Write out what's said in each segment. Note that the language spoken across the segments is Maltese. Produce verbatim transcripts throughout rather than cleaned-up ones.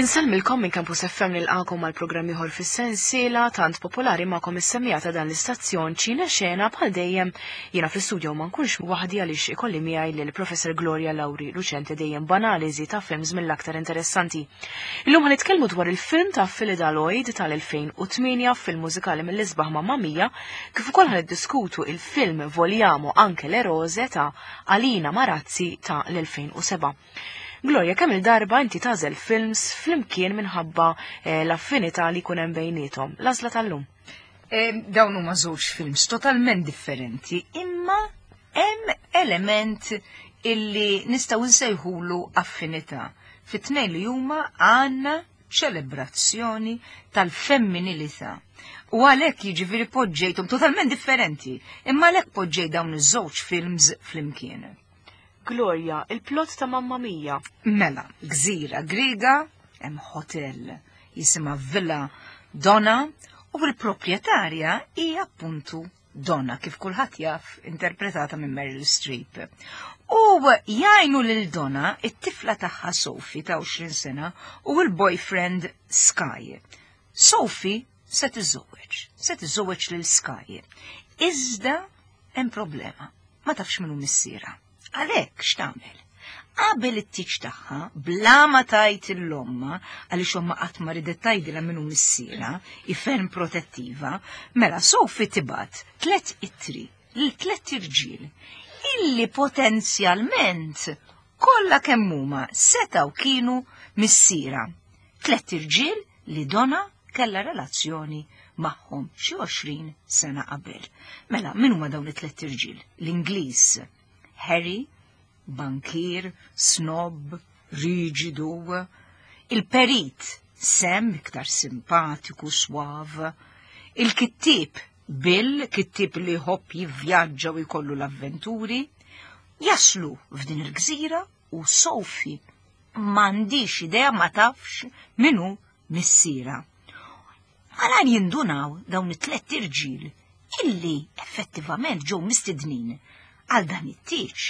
Insellmilkom minn Campus F M, nilqagħkom għal programm ieħor fis-sensiela tant popolari magħkom, is-semmiegħa ta' dan l-istazzjon, Ċina Xena. Bħal dejjem, jiena fl-istudio ma nkunx waħdi għaliex ikolli miegħi lil Professor Gloria Lauri Lucente, dejjem b'analiżi ta' films mill-aktar interessanti. Illum ħa nitkellmu dwar il-film ta' Phyllida Lloyd tal-elfejn u tmienja, film mużikali mill-isbaħ, Mamma Mia, kif ukoll ħa niddiskutu il-film Vogliamo anche le rose ta' Alina Marazzi ta' l-elfejn u sebgħa. Gloria, kemm il-darba inti tagħżel films flimkien minħabba eh, l-affinità li jkun hemm bejniethom? L-għażla tal-lum. E, dawn huma żewġ films totalment differenti, imma hemm element illi nistgħu nsejħulu affinità. Fit-tnejn li huma għandna ċelebrazzjoni tal-femminilità. U għalhekk, jiġifieri, poġġejthom totalment differenti, imma għalhekk poġġej dawn iż-żewġ films flimkien. Gloria, il-plot ta' Mamma Mia. Mela, gżira Griega, hemm hotel jisimha Villa Donna u l-proprjetarja hija appuntu Donna, kif kulħadd jaf, interpretata minn Meryl Streep. U jgħinu lil Donna it-tifla tagħha Sophie ta' għoxrin sena u l-boyfriend Sky. Sophie se tiżżewweġ, se tiżżewweġ lil Sky. Iżda hemm problema, ma tafx minnu missierha. Għalhekk x'tagħmel? Qabel it-tieġ tagħha, bla ma tgħid lil ommha, għaliex ommha qatt ma ridet tgħidilha minnu missierha, hi ferm protettiva, mela Sophie tibgħat tlet ittri lil tlet irġiel illi potenzjalment kollha kemm huma setgħu kienu missierha. Tlet irġiel li Donna kellha relazzjoni magħhom xi għoxrin sena qabel. Mela, min huma dawn it-tlet irġiel? L-Ingliż Harry, bankir, snob, riġidu, il-perit Sam, iktar simpatiku, swav, il-kittib Bill, kittib li jħobb jivvjaġġa u jkollu l-avventuri, jaslu f'din il-gżira u Sophie m'għandhiex idea, ma tafx minu missierha. Malajr jindunaw dawn it-tlet irġiel illi effettivament ġew mistednin għal dan it-tieġ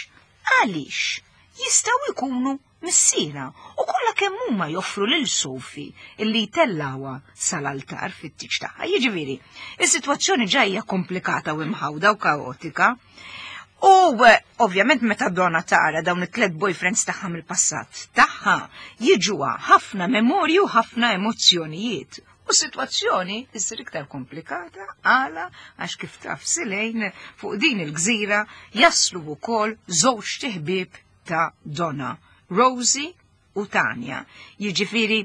għaliex jistgħu jkunu missierha u kollha kemm huma joffru lil Sophie illi jtellgħuha sal-altar fit-tieġ tagħha. Jiġifieri, is-sitwazzjoni ġajja komplikata u imħawda u kaotika. U eh, ovvjament meta Donna tara dawn it-tlet boyfriends tagħha mill-passat tagħha, jiġuha ħafna memorju, ħafna emozzjonijiet. U situazzjoni issir iktar komplikata għala għax, kif taf Silejn, fuq din il-gżira jaslu wkoll żewġ ħbieb ta' Donna, Rosie u Tanja. Jiġifieri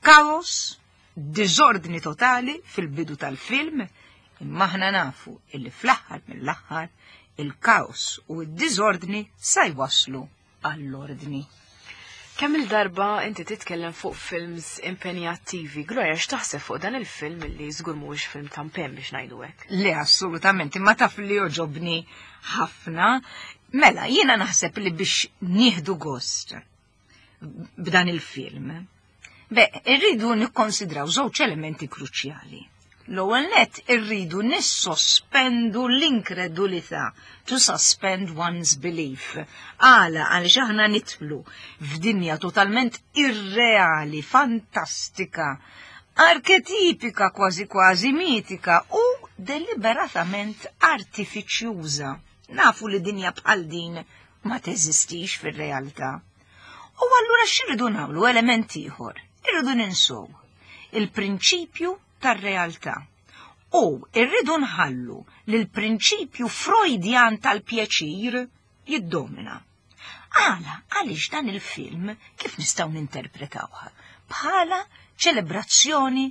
kaos, diżordni totali fil-bidu tal-film, imma aħna nafu illi fl-aħħar mill-aħħar il-kaos u d-diżordni sa jwaslu għall-ordni. Kemm il-darba inti titkellem fuq films impenjattivi? Gloria, x'taħseb fuq dan il-film li żgur mhuwiex film ta' impenn, biex ngħidu hekk? Le, assolutament, imma taf li joġobni ħafna. Mela, jiena naħseb li biex nieħdu gost b'dan il-film, be, irridu nikkonsidraw żewġ elementi kruċjali. L-ewwel net, irridu nissospendu l-inkredulità, to suspend one's belief. Għala? Għaliex aħna nidħlu f'dinja totalment irreali, fantastika, arketipika, kważi kważi mitika u deliberatament artifiċjuża. Nafu li dinja bħal din ma teżistix fir-realtà. U allura x'irridu nagħmlu, element ieħor? Irridu ninsow il-prinċipju tar-realtà. U irridu nħallu li l-prinċipju Freudjan tal-pjaċir jiddomina. Għala? Għaliex dan il-film kif nistgħu ninterpretawha? Bħala ċelebrazzjoni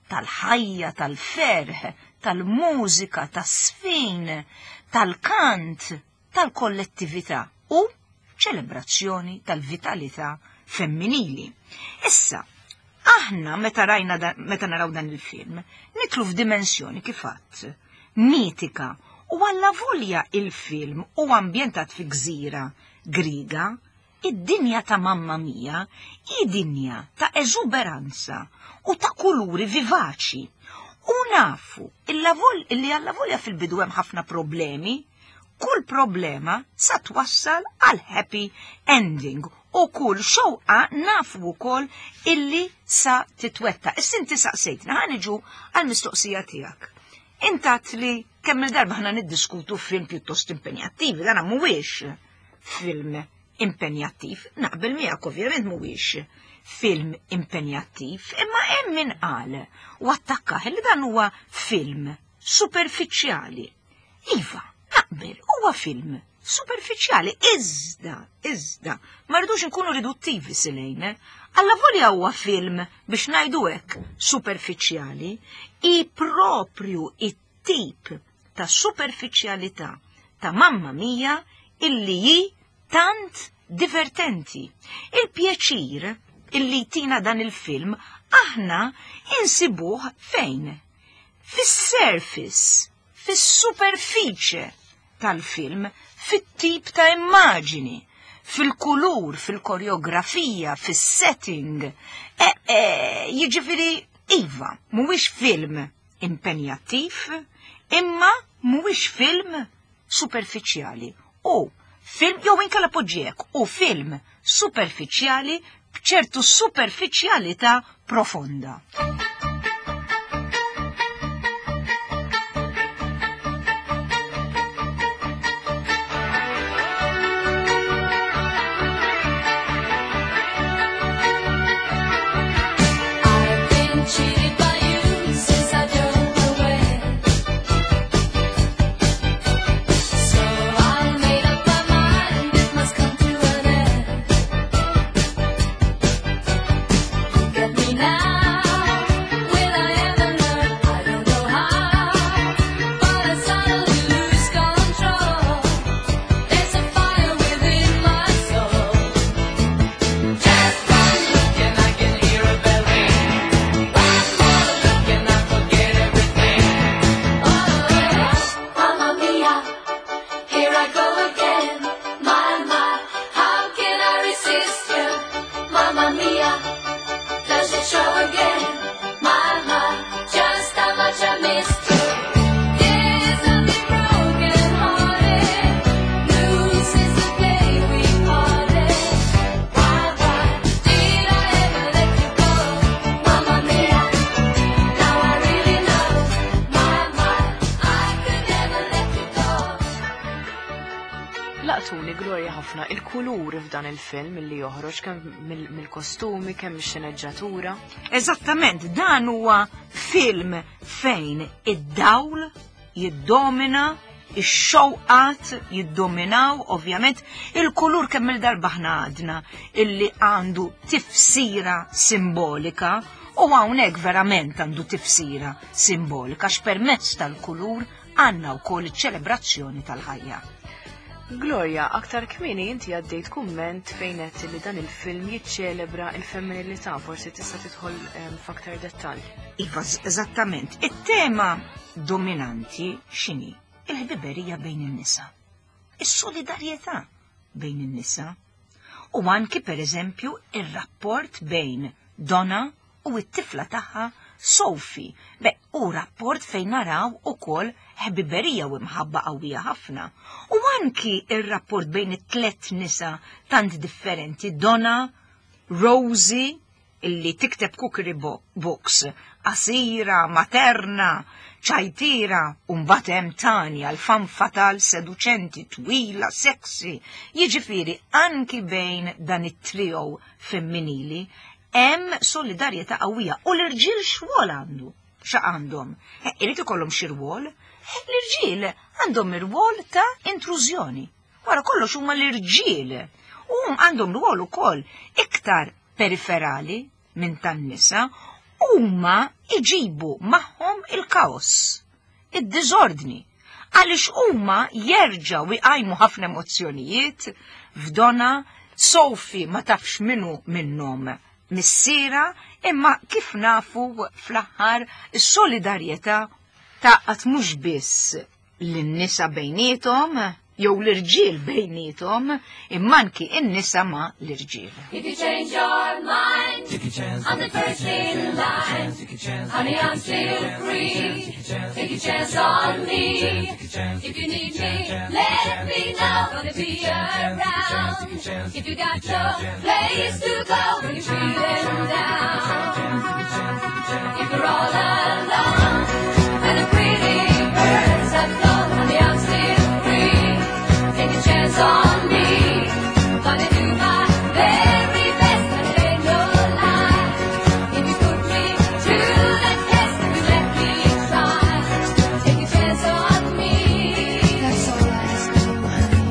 tal-ħajja, tal-ferħ, tal-mużika, tas-sfin, tal-kant, tal-kollettività u ċelebrazzjoni tal-vitalità femminili. Issa, aħna meta rajna da, meta naraw dan il-film, nidħlu f'dimensjoni, kif għedt, mitika, u għallavolja il-film hu ambjentat fi gżira Griga, id-dinja ta' Mamma Mia hi dinja ta' eżuberanza u ta' kuluri vivaċi. U nafu illi għallavolja fil-bidu hemm ħafna problemi, kull problema sa twassal għal happy ending. U kull xewqa nafu wkoll illi sa titwettaq. Issa inti saqsejtna, ħa niġu għall-mistoqsija tiegħek. Intat li kemm il-darba ħna niddiskutu film pjuttost impenjattivi, dan mhuwiex film impenjattiv, naqbel miegħek ovvjament mhuwiex film impenjattiv, imma hemm min qal u attakkaħ li dan huwa film superfiċjali. Iva, naqbel, huwa film superfiċjali, iżda, iżda, ma rridux nkunu riduttivi silejn, alla volja huwa film biex ngħidu hekk superfiċjali, i propju it-tip ta' superfiċjalità ta' Mamma Mia illi hi tant divertenti. Il-pjaċir illi tina dan il-film aħna insibuh fejn? Fis-surface, fis-superfiċe tal-film, fit-tip ta' immaġini, fil-kulur, fil-koreografija, fis-setting. E, e, jiġifieri, iva, mhuwiex film impenjattiv, imma mhuwiex film superfiċjali. U film, jew inkella poġġiek, u film superfiċjali b'ċertu superfiċjalità profonda. I've been cheated by you since I don't know when. So I made up my mind it must come to an end. Look at me now, will I ever learn? I don't know how, but I suddenly lose control. There's a fire within my soul. Just one look and I can hear a bell ring. One more look and I forget everything. Oh, Mamma mia, here I go again. My, my, how can I resist you? Mamma mia, does it show again? My, my, just how much I missed you. Yes, I've been broken hearted, blue since the day we parted. Why, why did I ever let you go? Mamma mia, now I really know. My, my, I could never let you go. Laqtuni Gloria ħafna il-kulur f'dan il-film illi joħroġ kemm mill- mill-kostumi, kemm mix-xeneġġatura. Eżattament, dan huwa film fejn id-dawl jiddomina, ix-xewqat jiddominaw, ovvjament, il-kulur kemm il-darba ħna għadna illi għandu tifsira simbolika u hawnhekk verament għandu tifsira simbolika x'permezz tal-kulur għandna wkoll iċ-ċelebrazzjoni tal-ħajja. Gloria, aktar kmieni inti għaddejt kumment fejn għedt li dan il-film jiċċelebra il-femminilità, forsi tista' tidħol em, f'aktar dettall. Iva, eżattament. It-tema dominanti x'inhi? Il-ħbiberija bejn in-nisa. Is-solidarjetà bejn in-nisa. U anki per eżempju ir-rapport bejn Donna u t-tifla tagħha Sophie. Be, u rapport fejn naraw ukoll ħbiberija u imħabba qawwija ħafna. U anki ir-rapport bejn it-tlet nisa tant differenti, Donna, Rosie, illi tikteb cookery bo- books, qasira, materna, ċajtira, u mbagħad hemm Tanja, l-femme fatale seduċenti, twila, sexy. Jiġifieri anki bejn dan it-trio femminili hemm solidarjetà qawwija u l-irġiel x'rwol għandu? Xa għandhom? Eh, Irid ikollhom xi rwol? Eh, L-irġiel għandhom ir-rwol ta' intrużjoni. Wara kollox huma l-irġiel. U għandhom rwol ukoll iktar periferali minn tan-nisa huma iġibu magħhom il-kaos, id-diżordni, għaliex huma jerġgħu jqajmu ħafna emozzjonijiet f'Donna. Sophie ma tafx minnu minnhom missiera, imma kif nafu fl-aħħar is-solidarjetà taqgħat mhux biss lin-nisa bejniethom jew l-irġiel bejniethom, imma anki in-nisa ma' l-irġiel. If you change your mind, I'm the first in line. Honey, I'm still free. Take a chance on me. If you need me, let me know. Gonna be around. If you got no place to go when you're feeling down. If you're all alone and the pretty birds have flown, honey, I'm still free. Take a chance on me. Gonna do my very best, and it ain't no lie. If you put me to the test, if you let me try, take a chance on me. That's all I ask of you, honey.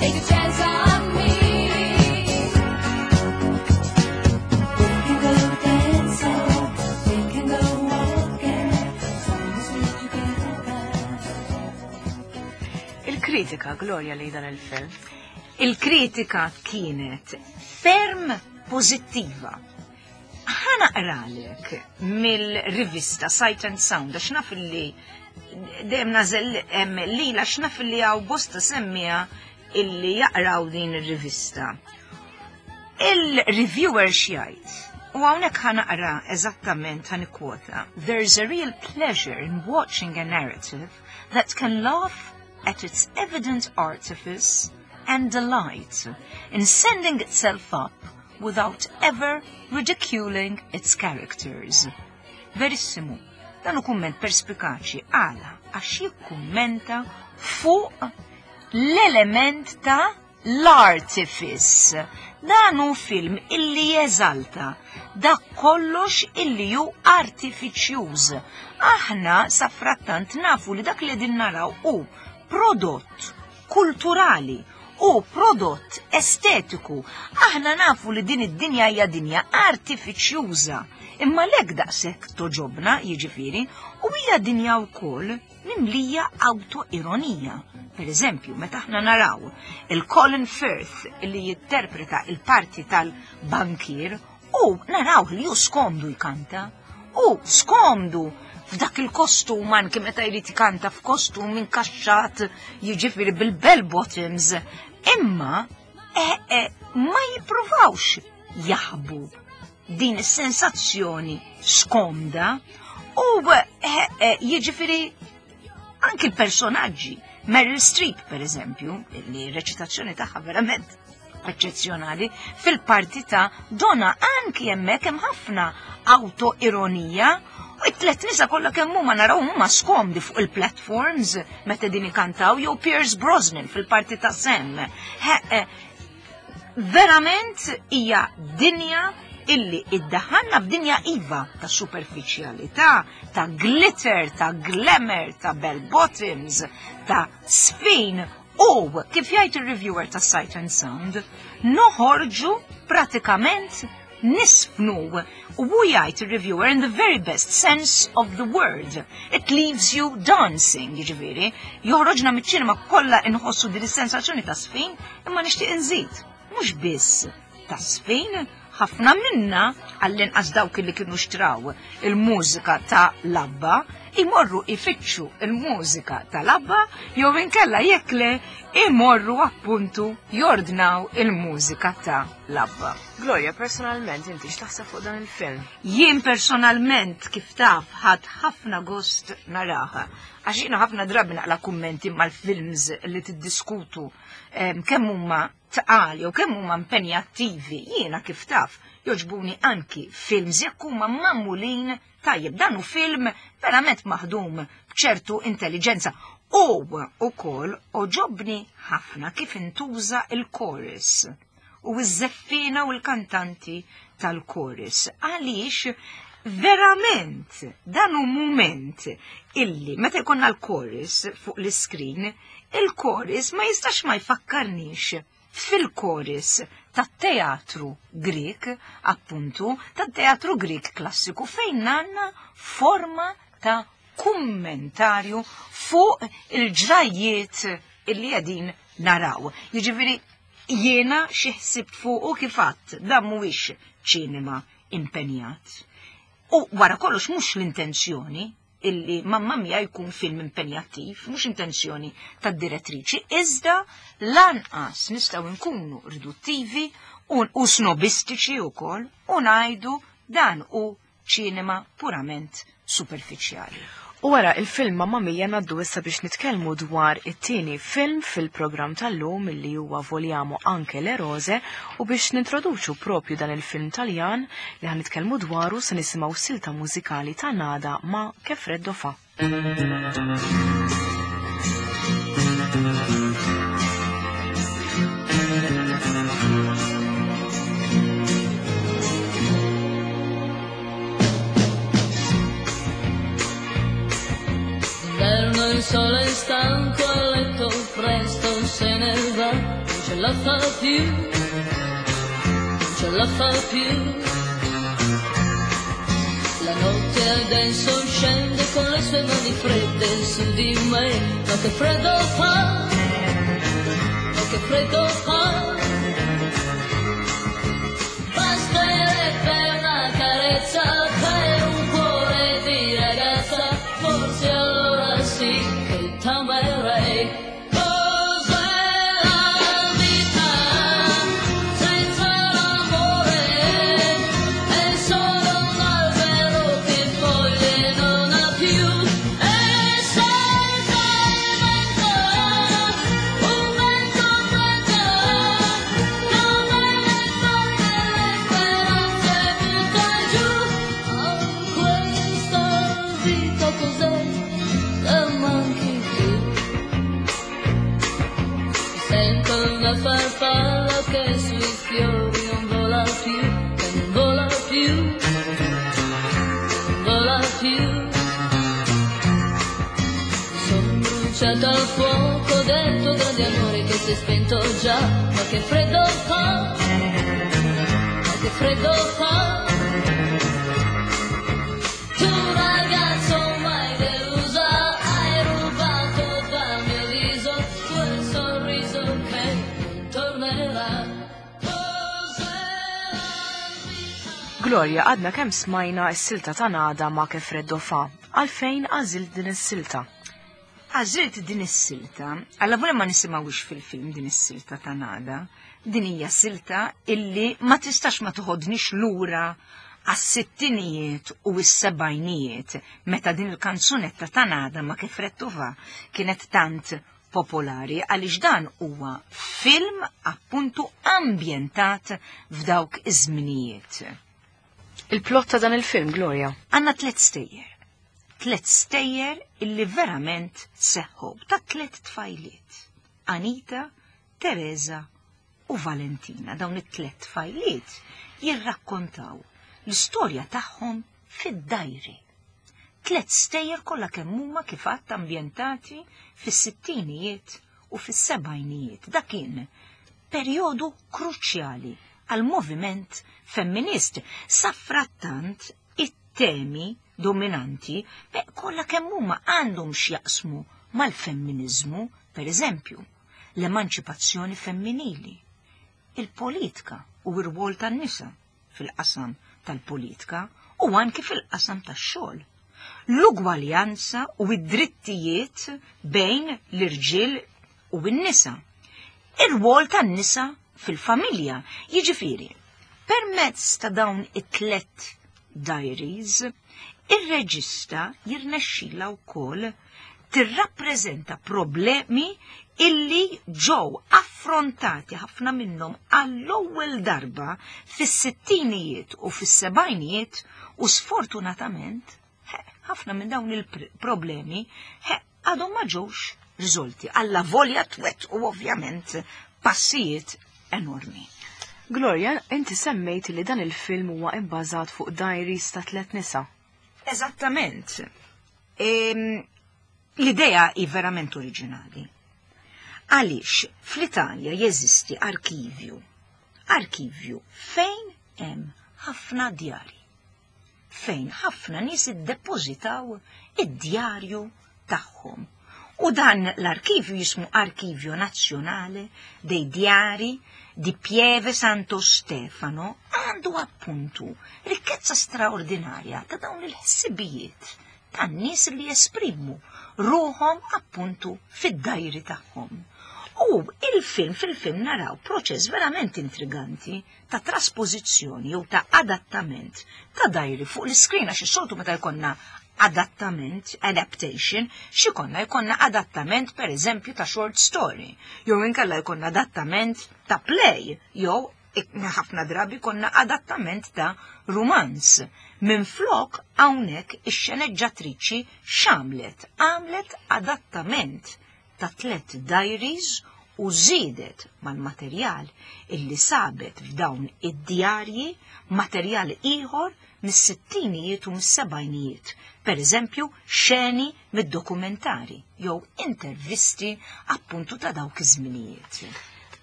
Take a chance on me. We can go dancing, we can go walking, as long as we're together. Il-kritika, Gloria, li dan il-film. Il-kritika kienet ferm pozittiva. Ħa naqralek mill-rivista Sight and Sound, għax naf li dejjem nażel lila għax naf li hawn bosta semmiegħa illi jaqraw din ir-rivista. Il-reviewer x'jgħid, u hawnhekk ħa naqra eżattament, ħa nikkwota: "There's a real pleasure in watching a narrative that can laugh at its evident artifice and delight in sending itself up without ever ridiculing its characters." Verissimu, dan hu kumment perspikaċi. Għala? Għax jikkummenta fuq l-element ta' l-artifice. Dan hu film illi jeżalta dak kollox illi hu artifiċjuż. Aħna safrattant nafu li dak li din naraw hu prodott kulturali u prodott estetiku. Aħna nafu li din id-dinja hija dinja artifiċjuża. Imma lek daqshekk togħġobna, jiġifieri, u hija dinja wkoll mimlija autoironija. Per eżempju, meta aħna naraw il-Colin Firth li jinterpreta il-parti tal-bankir u naraw li hu skomdu jkanta, u skomdu f'dak il-kostum, anke meta jrid ikanta f'kostum inkaxxat, jiġifieri bil-bell bottoms, imma eh, eh, ma jippruvawx jaħbu din is-sensazzjoni skomda u eh, eh, jiġifieri anki l-personaġġi. Meryl Streep, per eżempju, li reċitazzjoni tagħha verament eċċezzjonali fil-parti ta' Donna, anki hemmhekk hemm ħafna autoironija u it-tlet nisa kollha kemm huma naraw huma skomdi fuq il-platforms meta din ikantaw, jew Pierce Brosnan fil-parti ta' Sam. He, eh, verament hija dinja illi iddaħanna f'dinja iva ta' superfiċjalità, ta' glitter, ta' glamour, ta' bell bottoms, ta' sfin u kif jgħid il-reviewer ta' Sight and Sound, noħorġu pratikament nisfnu, u hu jgħid il-reviewer, "in the very best sense of the word. It leaves you dancing", jiġifieri, joħroġna miċ-ċinema kollha inħossu din is-sensazzjoni ta' sfin, imma nixtieq inżid. Mhux biss ta' sfin, ħafna minna, għall-inqas dawk li kienu xtraw il-mużika ta' l-ABBA, imorru ifittxu il-mużika ta' l-ABBA, jew inkella jekk le imorru appuntu jordnaw il-mużika ta' l-ABBA. Gloria, personalment, inti x'taħseb fuq dan il-film? Jien personalment, kif taf, ħadt ħafna gost naraha. Għax jiena ħafna drabi naqla kummenti mal-films li tiddiskutu em, kemm huma tqal jew kemm huma impenjattivi. Jiena, kif taf, jogħġbuni anki films jekk huma magħmulin tajjeb. Dan hu film verament maħdum b'ċertu intelligenza. U ukoll għoġobni ħafna kif intuża il-chorus u iż-żeffina u l-kantanti tal-chorus. Għaliex verament dan hu moment illi meta jkollna l-chorus fuq l-iskrin, il-chorus ma jistax ma jfakkarnix fil-chorus tat-teatru Grek, appuntu, tat-teatru Grek klassiku, fejn għandna forma ta' kummentarju fuq il-ġrajiet illi qegħdin naraw. Jiġifieri jiena xi ħsibt fuq u kif għedt, dan mhuwiex ċinema impenjat. U wara kollox mhux l-intenzjoni illi Mamma Mia jkun film impenjattiv, mhux intenzjoni tad-direttriċi, iżda lanqas nistgħu nkunu riduttivi u, u snobistiċi wkoll u ngħidu dan hu ċinema purament superfiċjali. U wara il-film Mamma Mia ngħaddu issa biex nitkellmu dwar it-tieni film fil-programm tal-lum illi huwa Vogliamo anche le rose u biex nintroduċu propju dan il-film Taljan li ħa nitkellmu dwaru se nisimgħu silta mużikali ta' Nada ma' Che freddo fa. D'inverno il sole è stanco, a letto presto se ne va, non ce la fa più, non ce la fa più. La notte adesso scende con le sue mani fredde su di me, ma che freddo fa, ma che freddo fa. Basterebbe una carezza per un cuore di ragazza, forse allora sì che t'amerei. Cos'è la vita senza l'amore? È solo un albero che foglie non ha più. E senza il vento, un vento freddo, come le foglie le speranze butta giù. Ah, questa vita cos'è se manchi tu? Sento una farfalla che sui fiori non vola più, che non vola più, non vola più. Sono bruciata al fuoco del tuo grande amore che si è spento già, ma che freddo fa, ma che freddo fa. Tu ragazzo mai delusa, hai rubato dal mio viso quel sorriso che non tornerà. Cos'è la vita? Gloria, għadna kemm smajna s-silta ta' Nada ma' Che freddo fa. Għalfejn għażilt din is-silta? Għażilt din is-silta, alla volja ma nisimgħux fil-film din is-silta ta' Nada, din hija silta illi ma tistax ma toħodnix lura għas-sittinijiet u s-sebgħinijiet meta din il-kanzunetta ta' Nada ma' Che freddo fa kienet tant popolari, għaliex dan huwa film appuntu ambjentat f'dawk iż-żminijiet. Il-plot ta' dan il-film, Gloria? Għandna tliet stejjer. Tliet stejjer illi verament seħħu ta' tliet tfajliet. Anita, Teresa u Valentina. Dawn it-tliet tfajliet jirrakkontaw l-istorja tagħhom fid-dajri. Tliet stejjer kollha kemm huma kif għadd ambjentati fis-sittinijiet u fis-sebgħinijiet. Dak kien perjodu kruċjali għal moviment femminist. Saffrattant it-temi dominanti beh, kollha kemm huma għandhom x'jaqsmu mal-femminizmu, per eżempju, l-emanċipazzjoni femminili, il-politika u r-rwol tan-nisa fil-qasam tal-politika u anki fil-qasam tax-xogħol, l-ugwaljanza u id-drittijiet bejn l-irġiel u n-nisa, ir-rwol tan-nisa fil-familja. Jiġifieri, permezz ta' dawn it-tlet diaries, ir-reġista jirnexxila wkoll tirrappreżenta problemi illi ġew affrontati ħafna minnhom għall-ewwel darba fis-sittinijiet u fis-sebgħinijiet u sfortunatament ħafna minn dawn il-problemi għadhom ma ġewx riżolti. Alla volja twet u ovvjament passijiet enormi. Gloria, inti semmejt li dan il-film huwa ibbażat fuq diaries ta' tliet nisa. Eżattament. Ehm, L-idea hi verament oriġinali. Għaliex fl-Italja jeżisti arkivju. Arkivju fejn hemm ħafna djari. Fejn ħafna nies iddepożitaw id-djarju tagħhom. U dan l-arkivju jismu Arkivio Nazionale dei Diari di Pieve Santo Stefano, għandu appuntu rikkezza straordinarja ta' dawn il-ħsibijiet tan-nies li jesprimu ruħhom appuntu fid-dajri tagħhom. U il-film, fil-film naraw proċess verament intriganti ta' traspożizzjoni jew ta' adattament ta' diary fuq l-iskrin, għax is-soltu meta jkollna adattament, adaptation, x'ikollna? Jkollna adattament, per eżempju, ta' short story, jew inkella jkollna adattament ta' play, jew ħafna drabi jkollna adattament ta' rumanz. Minn flok hawnhekk ix-xeneġġatriċi x'għamlet? Għamlet adattament ta' tlet diaries u żiedet mal-materjal illi sabet f'dawn id-djarji materjal ieħor mis-sittinijiet u mis-sebgħinijiet. Per eżempju, xeni mid-dokumentari jew intervisti appuntu ta' dawk iż-żminijiet.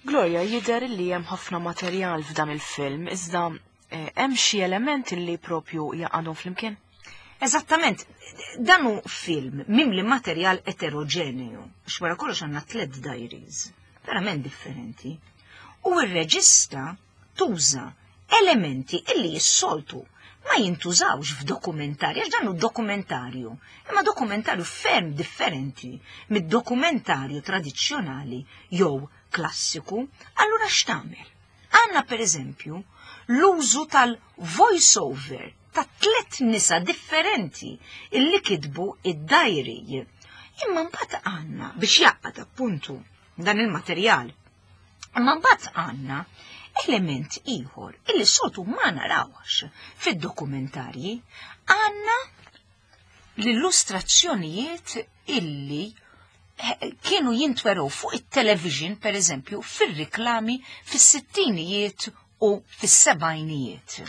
Gloria, jidher li hemm ħafna materjal f'dan il-film, iżda eh, hemm xi elementi li propju jaqgħadhom flimkien? Eżattament, dan hu film mimli materjal eterogeneu, għax wara kollox għandna tliet diaries, verament differenti. U r-reġista tuża elementi illi jissoltu ma jintużawx f'dokumentarju, għax dan hu dokumentarju, imma dokumentarju ferm differenti mid-dokumentarju tradizzjonali jew klassiku. Allura x'tagħmel? Għandna, per eżempju, l-użu tal-voice-over ta' tlet nisa differenti illi kitbu id-diary. Imma mbagħad għandna biex jaqgħad appuntu dan il-materjal. Imma mbagħad għandna element ieħor illi soltu ma narawx fid-dokumentarji, għandna l-illustrazzjonijiet illi eh, kienu jintweru fuq it-television, per eżempju, fir-riklami fis-sittinijiet u fis-sebgħinijiet.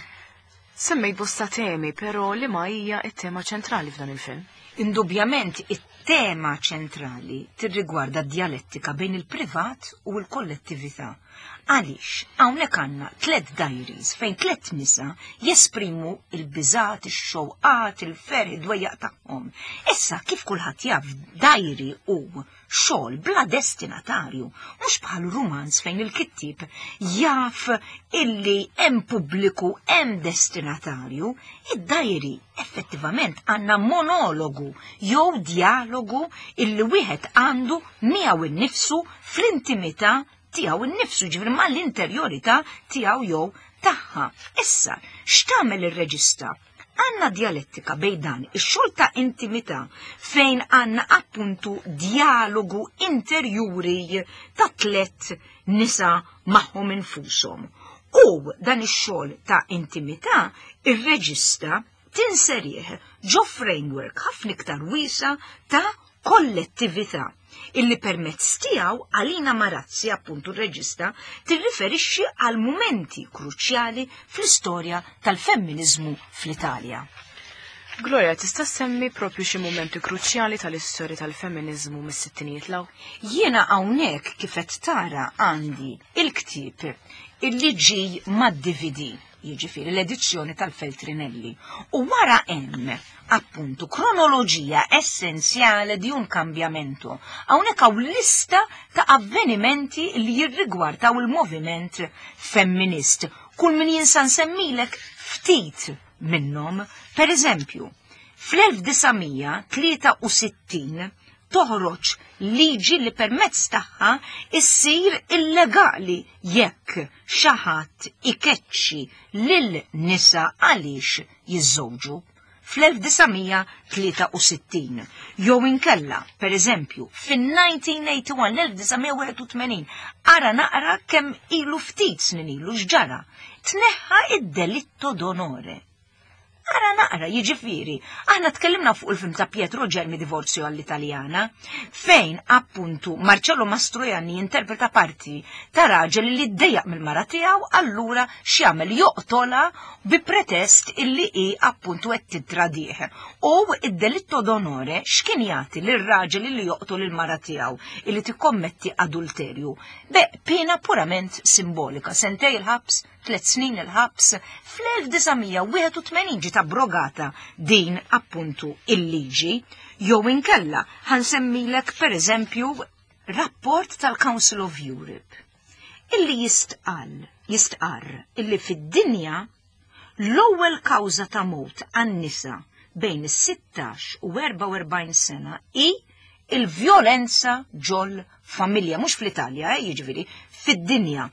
Semmejt bosta temi, però li ma hija it-tema ċentrali f'dan il-film? Indubjament, it-tema ċentrali tirrigwarda d-dialettika bejn il-privat u l-kollettività. Għaliex, hawnhekk għandna tlet diaries fejn tlet nisa jesprimu il-biżat, ix-xewqat, il-ferħ, id-dwejjaq tagħhom. Issa, kif kulħadd jaf, diary hu xogħol bla destinatarju, mhux bħal rumanz fejn il-kittib jaf illi hemm pubbliku, hemm destinatarju. Id-diary effettivament għandna monologu jew dialogu illi wieħed għandu miegħu innifsu fl-intimità tiegħu innifsu, ġifieri mal-interjorità tiegħu jew tagħha. Issa, x'tagħmel ir-reġista? Għandna dialettika bejn dan ix-xogħol ta' intimità fejn għandna appuntu dialogu interjuri ta' tlet nisa magħhom infushom. U dan ix-xogħol ta' intimità ir-reġista tinserih ġo framework ħafna iktar wiesa ta' kollettività illi permezz tiegħu Alina Marazzi, appuntu r-reġista, tirriferixxi għal mumenti kruċjali fl-istorja tal-femminizmu fl-Italja. Gloria, tista' semmi propju xi mumenti kruċjali tal-istorja tal-femminizmu mis-sittinijiet 'l hawn? Jiena hawnhekk, kif qed tara, għandi il-ktieb illi ġi mad-D V D, jiġifieri l-edizzjoni tal-Feltrinelli. U wara hemm appuntu kronoloġija essenzjale di un cambiamento. Hawnhekk hawn lista ta' avvenimenti li jirrigwardaw il-moviment femminist. Kull min jinsa nsemmilek ftit minnhom. Per eżempju, fl-elf disa' mija tlieta u sittin toħroġ liġi li permezz tagħha issir illegali jekk xi ħadd ikeċċi lil nisa għaliex jiżżewġu fl-elf disa' mija tlieta u sittin. Jew inkella, per eżempju, fin-elf disa' mija wieħed u tmenin, l-elf disa' mija wieħed u tmenin, ara naqra kemm ilu, ftit snin ilu, x'ġara? Tneħħa id-delitto d'onore. Ara naqra, jiġifieri, aħna tkellimna fuq il-film ta' Pietro Germi, Divorzio all'Italiana, fejn appuntu Marcello Mastroianni interpreta parti ta' raġel li ddejjaq mill-mara tiegħu, allura x'jagħmel? Joqtola bi pretest illi hi appuntu qed titradih. U id-delitto d'onore x'kien jagħti lir-raġel illi joqtol il-mara tiegħu illi tikkommetti adulterju? Be, pena purament simbolika, sentej il-ħabs, tliet snin il-ħabs. Fl-elf disa' mija wieħed u tmenin ġiet abrogata din appuntu il-liġi. Jew inkella ħa nsemmilek, per eżempju, rapport tal-Council of Europe illi jistqal, jistqarr illi fid-dinja l-ewwel kawża ta' mewt għan-nisa bejn is-sittax u erbgħa u erbgħin sena hi Il-vjolenza ġol familja, mhux fl-Italja, eh, jiġifieri, fid-dinja.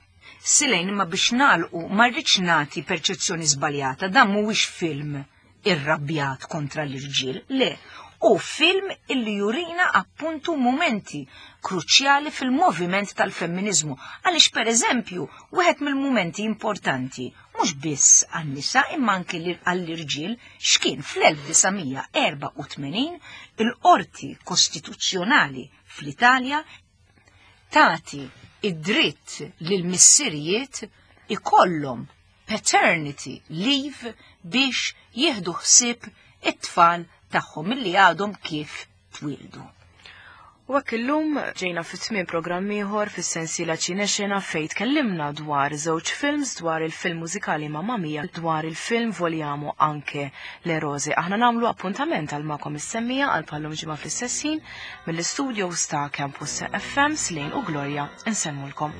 Silejn imma biex nagħlqu ma rridx nagħti perċezzjoni żbaljata, dan mhuwiex film irrabjat kontra l-irġiel, le, u film illi jurina appuntu momenti kruċjali fil-moviment tal-femminizmu. Għaliex per eżempju, wieħed mill-momenti importanti, mhux biss għan-nisa imma anki għall-irġiel, x'kien fl-elf disa' mija erbgħa u tmenin il-Qorti Kostituzzjonali fl-Italja tati id-dritt lil missirijiet ikollhom paternity leave biex jieħdu ħsieb it-tfal tagħhom illi għadhom kif twildu. U hekk illum ġejna fit tmiem programm ieħor fis-sensiela Ċinexena fejn tkellimna dwar żewġ films, dwar il-film mużikali Mamma Mia, dwar il-film Vogliamo anche le rose. Aħna nagħmlu appuntament għal magħkom is-semmiegħa għal bħal-lum ġimgħa fl-istess ħin mill-istudio ta' Campus F M. Slane u Gloria insellmulkom.